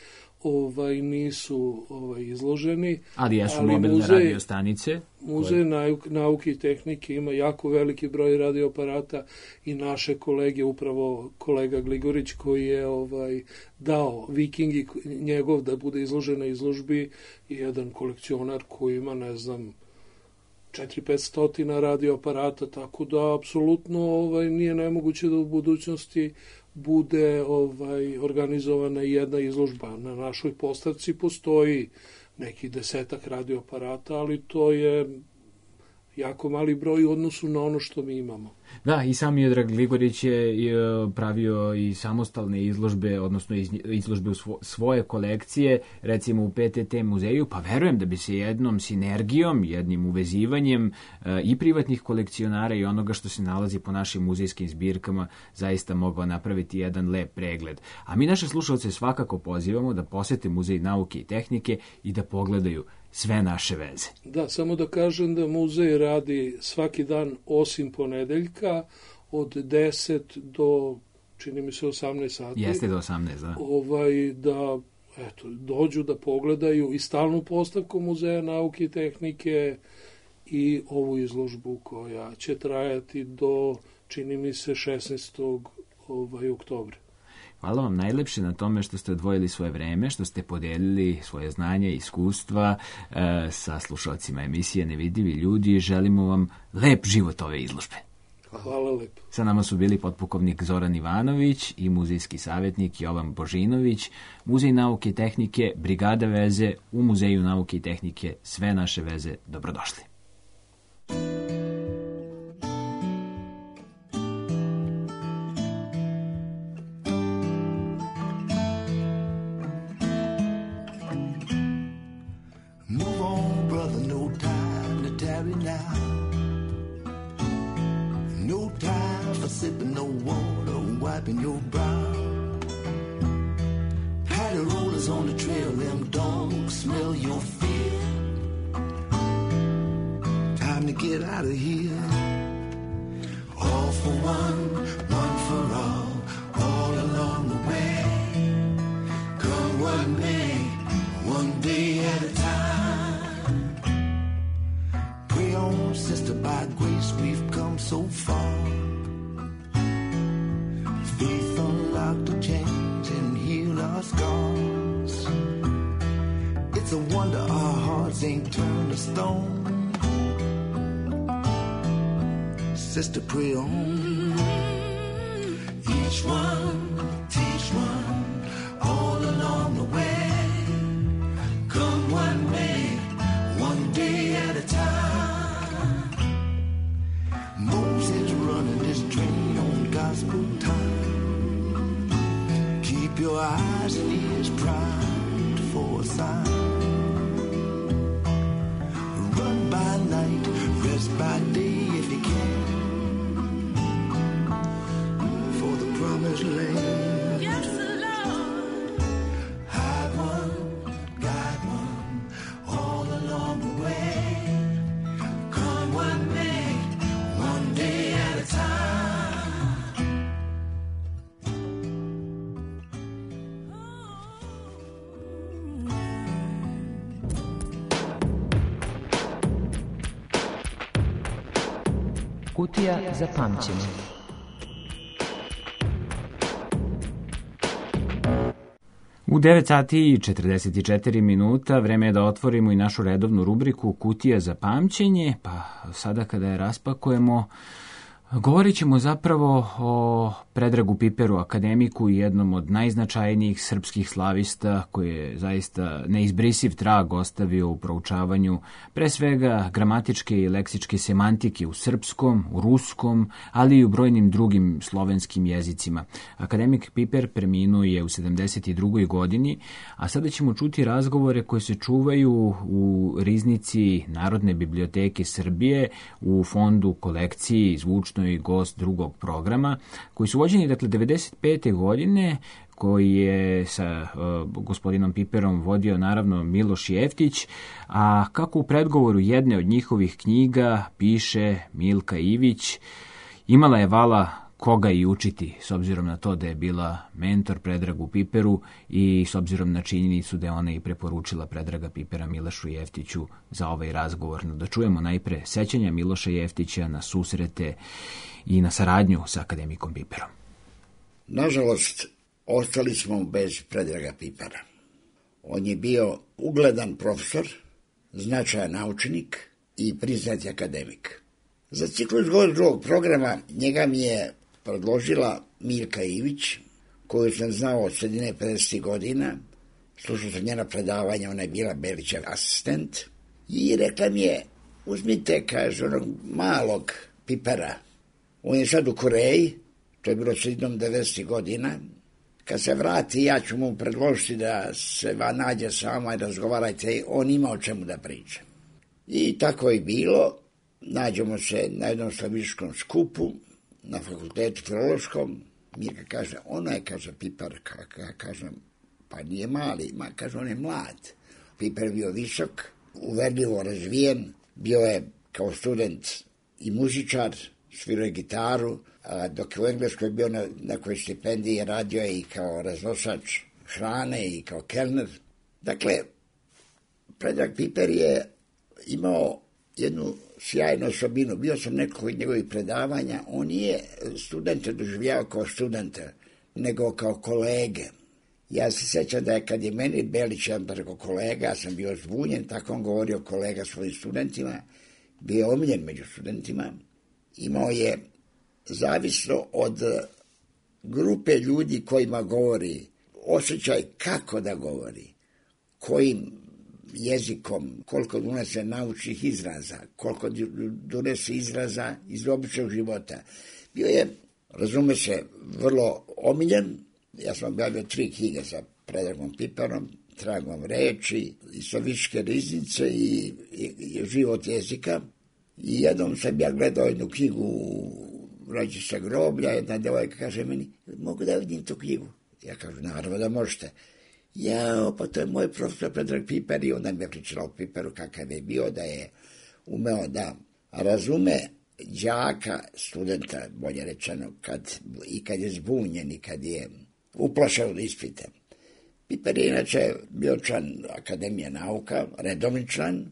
ovaj, nisu ovaj, izloženi. Ali jesu mobilne muzej, radio stanice? Muzej koje... nauke i tehnike ima jako veliki broj radioaparata i naše kolege, upravo kolega Gligorić koji je ovaj, dao Vikingi njegov da bude izložen na izložbi i jedan kolekcionar koji ima, ne znam, četiri do pet stotina radioaparata, tako da apsolutno ovaj, nije nemoguće da u budućnosti bude ovaj, organizovana jedna izložba. Na našoj postavci postoji neki desetak radioaparata, ali to je jako mali broj u odnosu na ono što mi imamo. Da, i sam Miodrag Gligorić je pravio i samostalne izložbe, odnosno izložbe u svoje kolekcije, recimo u P T T muzeju, pa verujem da bi se jednom sinergijom, jednim uvezivanjem i privatnih kolekcionara i onoga što se nalazi po našim muzejskim zbirkama zaista mogao napraviti jedan lep pregled. A mi naše slušalce svakako pozivamo da posete Muzej nauke i tehnike i da pogledaju sve naše veze. Da, samo da kažem da muzej radi svaki dan osim ponedeljka od deset do, čini mi se, osamnaest sati. Jeste do osamnaest, da. Ovaj, da eto, dođu da pogledaju i stalnu postavku Muzeja nauke i tehnike i ovu izložbu koja će trajati do, čini mi se, šesnaestog Ovaj, oktobra. Hvala vam najlepše na tome što ste odvojili svoje vreme, što ste podelili svoje znanje i iskustva e, sa slušalcima emisije Nevidljivi ljudi. Želimo vam lep život ove izložbe. Hvala lepo. Sa nama su bili potpukovnik Zoran Ivanović i muzejski savjetnik Jovan Božinović, Muzej nauke i tehnike, Brigada veze u Muzeju nauke i tehnike. Sve naše veze, dobrodošli. Sipping no water, wiping your brow. Patty rollers on the trail, them dogs smell your fear. Time to get out of here. All for one, one for all, all along the way. Come one day, one day at a time. Pray on, sister, by grace we've come so far. Faith unlocked the chains and healed our scars. It's a wonder our hearts ain't turned to stone. Sister, pray on. Each one, teach one, all along the way. Come one way, one day at a time. Moses running this train on gospel time. Keep your eyes and ears primed for a sign. Run by night, rest by day if you can. For the promised land. Yes, Lord. Hide one, guide one, all along the way. Come one day, one day at a time. Kutija za pamćenje. U devet sati i četrdeset četiri minuta vreme je da otvorimo i našu redovnu rubriku Kutija za pamćenje, pa sada kada je raspakujemo, Govorit ćemo zapravo o Predragu Piperu, akademiku i jednom od najznačajnijih srpskih slavista koji je zaista neizbrisiv trag ostavio u proučavanju pre svega gramatičke i leksičke semantike u srpskom, u ruskom, ali i u brojnim drugim slovenskim jezicima. Akademik Piper preminuo je u sedamdeset drugoj godini, a sada ćemo čuti razgovore koje se čuvaju u riznici Narodne biblioteke Srbije u fondu kolekciji Zvučno i gost drugog programa, koji su vođeni dakle devedeset pete godine, koji je sa uh, gospodinom Piperom vodio naravno Miloš Jeftić, a kako u predgovoru jedne od njihovih knjiga piše Milka Ivić, imala je vala koga i učiti, s obzirom na to da je bila mentor Predragu Piperu i s obzirom na činjenicu da je ona i preporučila Predraga Pipera Milošu Jeftiću za ovaj razgovor. No, da čujemo najpre sećanja Miloša Jeftića na susrete i na saradnju sa akademikom Piperom. Nažalost, ostali smo bez Predraga Pipera. On je bio ugledan profesor, značajan naučnik i priznati akademik. Za ciklus drugog programa njega mi je predložila Milka Ivić, koju sam znao od sredine pedesetih godina, slušao sam njena predavanja, ona je bila Belićev asistent, i rekla mi je, uzmite, kaže, onog malog Pipera, on je sad u Koreji, to je bilo sredinom devedesetih godina, kad se vrati, ja ću mu predložiti da se va nađe s vama i razgovarajte, on ima o čemu da priča. I tako je bilo, nađemo se na jednom slavičkom skupu, na fakultetu filološkom, Mirka kaže, ona je, kaže, Piper, ja kažem, pa nije mali, ma, kaže, on je mlad. Piper je bio visok, uverljivo razvijen, bio je kao student i muzičar, svirao je gitaru, a dok je u Engleskoj bio na nekoj stipendiji, radio je i kao raznosač hrane i kao kelner. Dakle, Predrag Piper je imao jednu sjajnu osobinu. Bio sam nekako od njegovih predavanja. On nije studente doživljavao kao studente, nego kao kolege. Ja se sjećam da je kad je meni Belić jedan preko kolega, ja sam bio zbunjen, tako on govorio kolega svojim studentima, bio je omiljen među studentima. Imao je, zavisno od grupe ljudi kojima govori, osjećaj kako da govori, kojim jezikom, koliko donese naučnih izraza, koliko donese izraza iz običnog života. Bio je, razume se, vrlo omiljen. Ja sam objavio tri knjige sa Predragom Piperom, Tragom reči, i Sovičke riznice i, i, i Život jezika. I jednom sam ja gledao jednu knjigu Rađi sa groblja, jedna devojka kaže meni, mogu da vidim tu knjigu? Ja kažem, naravno da možete. Ja, pa to je moj profesor Predrag Piper, i onda mi je pričala o Piperu kakav je bio, da je umeo da razume đaka, studenta, bolje rečeno, kad, i kad je zbunjen i kad je uplašao od ispita. Piper je inače bio član Akademije nauka, redovni član,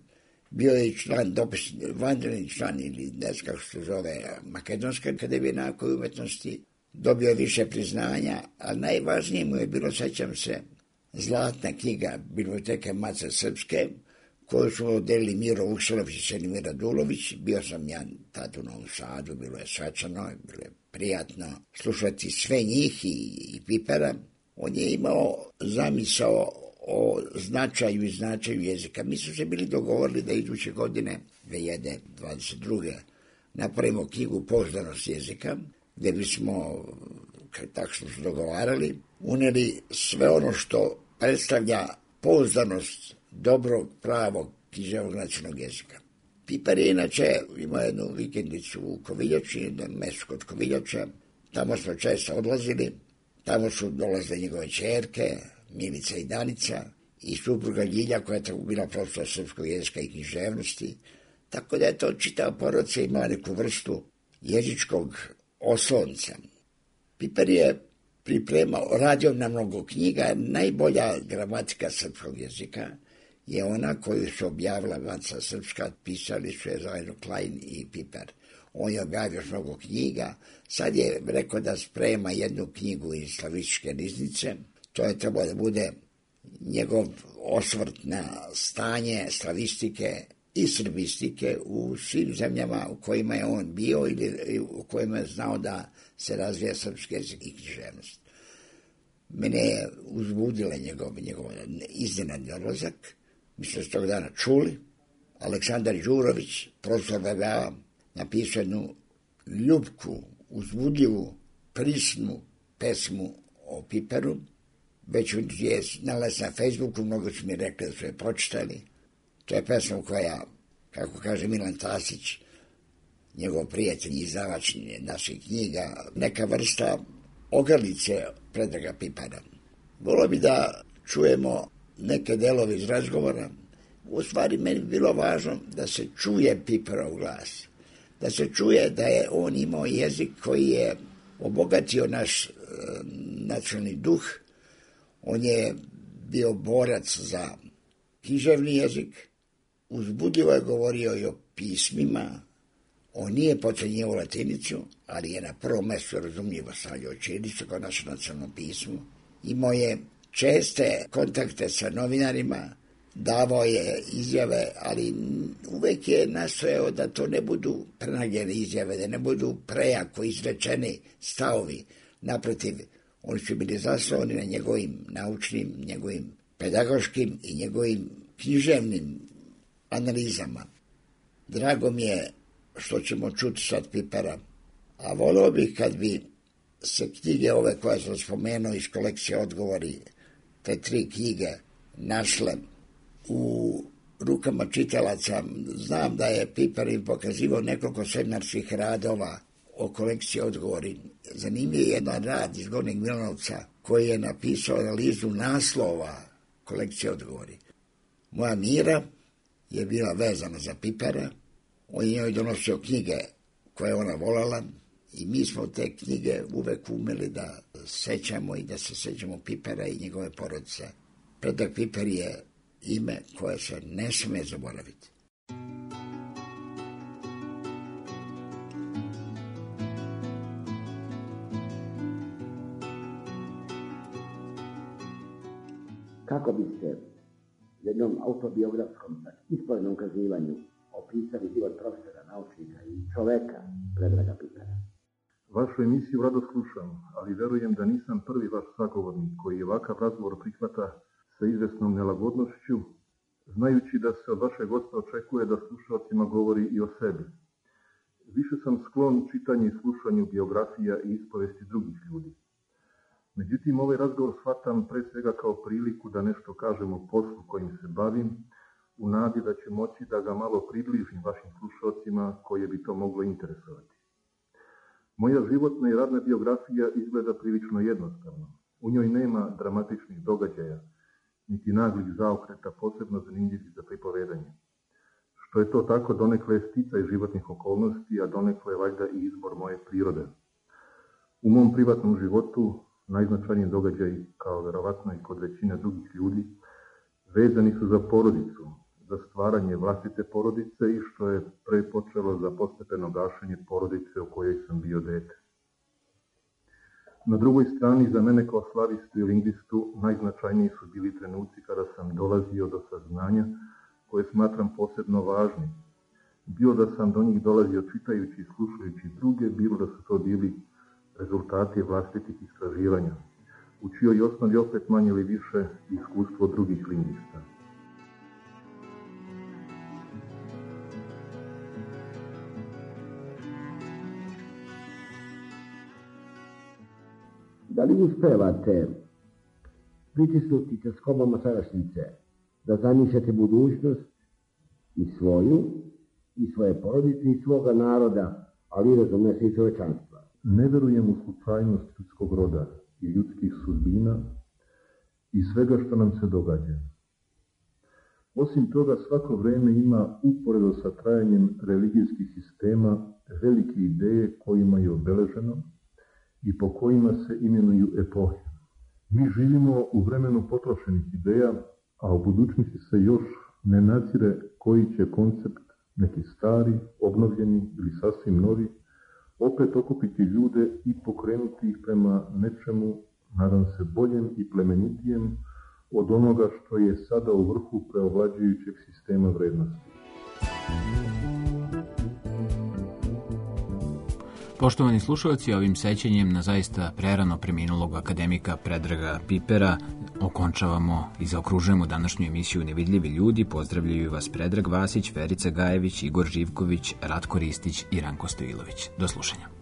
bio je član, dopis, vanredni član, ili ne znam kako se zove, Makedonske akademije nauka i umetnosti, dobio je više priznanja, a najvažnije mu je bilo, sećam se, zlatna knjiga Biblioteke Mace Srpske, koju su odelili Miro Vuksanović i Senimir Radulović. Bio sam ja tad u Novom Sadu, bilo je svačano, bilo je prijatno slušati sve njih i, i Pipera. On je imao zamisao o značaju i značaju jezika. Mi su se bili dogovorili da iduće godine, dve hiljade dvadeset druge napravimo knjigu Pouzdanost jezika, gde bismo, tako smo se dogovarali, uneli sve ono što predstavlja pouzdanost dobrog, pravog, književnog nacionalnog jezika. Piper je inače imao jednu vikendicu u Koviljači, jedno mesto kod Koviljača. Tamo smo često odlazili, tamo su dolazile njegove ćerke, Milica i Danica, i supruga Ljilja, koja je tako bila profesor srpskog jezika i književnosti. Tako da je to čitava porodica imala neku vrstu jezičkog oslonca. Piper je pripremao, radio na mnogo knjiga. Najbolja gramatika srpskog jezika je ona koju su objavila Maca Srpska, pisali su je zajedno Klein i Piper. On je objavio mnogo knjiga. Sad je rekao da sprema jednu knjigu iz Slavičke riznice. To je trebalo da bude njegov osvrt na stanje slavistike i srbistike u svim zemljama u kojima je on bio ili u kojima je znao da se razvija srpski jezik i književnost. Mene je uzbudila njegov, njegov iznenadni odlazak. Mi smo s tog dana čuli. Aleksandar Đurović, profesor V B A, napisao jednu ljubku, uzbudljivu, prisnu pesmu o Piperu. Već je nalaz na Facebooku, mnogo su mi rekli da su je pročitali. To je pesma koja, kako kaže Milan Tasić, njegov prijatelj i izdavač naših knjiga, neka vrsta ogrlice Predraga Pipara. Volio bi da čujemo neke delove iz razgovora. U stvari, meni bi bilo važno da se čuje Piparov glas. Da se čuje da je on imao jezik koji je obogatio naš e, nacionalni duh. On je bio borac za književni jezik. Uzbudljivo je govorio i o pismima. On nije potcenjivao latinicu, ali je na prvom mestu razumljivo stavljao ćirilicu kao naše nacionalno pismo. Imao je česte kontakte sa novinarima, davao je izjave, ali uvek je nastojao da to ne budu prenagljene izjave, da ne budu prejako izrečeni stavovi. Naprotiv, oni su bili zasnovani na njegovim naučnim, njegovim pedagoškim i njegovim književnim analizama. Drago mi je što ćemo čuti sad Pipera, a volio bih kad bi se knjige ove koje sam spomenuo iz kolekcije Odgovori, te tri knjige, našle u rukama čitalaca. Znam da je Piper im pokazivao nekoliko seminarskih radova o kolekciji Odgovori. Zanimljiv je jedan rad iz Gornjeg Milanovca koji je napisao analizu naslova kolekcije Odgovori. Moja Mira je bila vezana za Pipera, on je njoj donosio knjige koje ona volala i mi smo te knjige uvek umeli da sećamo i da se sećamo Pipera i njegove porodice. Predrag Piper je ime koje se ne sme zaboraviti. Kako biste jednom autobiografskom ispravnom ukazivanju opisali život profesora, naučnika i čoveka Predraga Pipera? Vašu emisiju rado slušam, ali verujem da nisam prvi vaš sagovornik koji ovakav razgovor prihvata sa izvesnom nelagodnošću, znajući da se od vašeg gosta očekuje da slušalcima govori i o sebi. Više sam sklon čitanju i slušanju biografija i ispovesti drugih ljudi. Međutim, ovaj razgovor shvatam pre svega kao priliku da nešto kažem o poslu kojim se bavim, u nadi da ću moći da ga malo približim vašim slušalcima koje bi to moglo interesovati. Moja životna i radna biografija izgleda prilično jednostavno. U njoj nema dramatičnih događaja, niti naglih zaokreta posebno zanimljivih za pripovedanje. Što je to tako, donekle je sticaj životnih okolnosti, a donekle je valjda i izbor moje prirode. U mom privatnom životu najznačajniji događaj, kao verovatno i kod većine drugih ljudi, vezani su za porodicu, za stvaranje vlastite porodice i što je pre počelo za postepeno gašenje porodice u kojoj sam bio dete. Na drugoj strani, za mene kao slavistu i lingvistu, najznačajniji su bili trenuci kada sam dolazio do saznanja koje smatram posebno važnim. Bilo da sam do njih dolazio čitajući i slušajući druge, bilo da su to bili rezultati vlastitih istraživanja, u čijoj osnovi opet manje ili više iskustvo drugih lingvista. Da li uspevate pritisnuti se skobama sadašnjice, da zamišljate budućnost i svoju, i svoje porodice, i svoga naroda, ali razumne se i čovečanstva? Ne verujem u slučajnost ljudskog roda i ljudskih sudbina i svega što nam se događa. Osim toga, svako vreme ima, uporedo sa trajanjem religijskih sistema, velike ideje kojima je obeleženo i po kojima se imenuju epohe. Mi živimo u vremenu potrošenih ideja, a u budućnosti se još ne nadzire koji će koncept, neki stari, obnovljeni ili sasvim novi, opet okupiti ljude i pokrenuti ih prema nečemu, nadam se, boljem i plemenitijem od onoga što je sada u vrhu preovlađujućeg sistema vrednosti. Poštovani slušalci, ovim sećanjem na zaista prerano preminulog akademika Predraga Pipera okončavamo i zaokružujemo današnju emisiju Nevidljivi ljudi. Pozdravljaju vas Predrag Vasić, Verica Gajević, Igor Živković, Ratko Ristić i Ranko Stojilović. Do slušanja.